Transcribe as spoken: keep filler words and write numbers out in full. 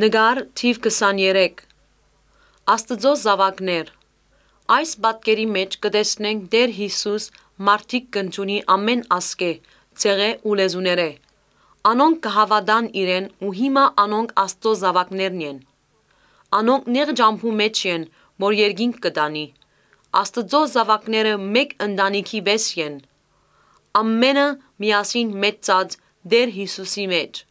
Նկար թիվ քսաներեք։ Աստուծոյ զաւակներ։ Այս պատկերի մէջ կը տեսնենք Տէր Յիսուս մարդիկ կ'ընդունի ամէն ազգէ, ցեղէ ու լեզուներէ։ Անոնք կը հաւատան իրեն ու հիմա անոնք Աստուծոյ զաւակներն են։ Անոնք նեղ ճամբու մէջ են, որ երկինք կը տանի։ Աստուծոյ զաւակները մէկ ընտանիքի պէս են։ Ամէնքը միասին մեծցած Տէր Յիսուսի մէջ։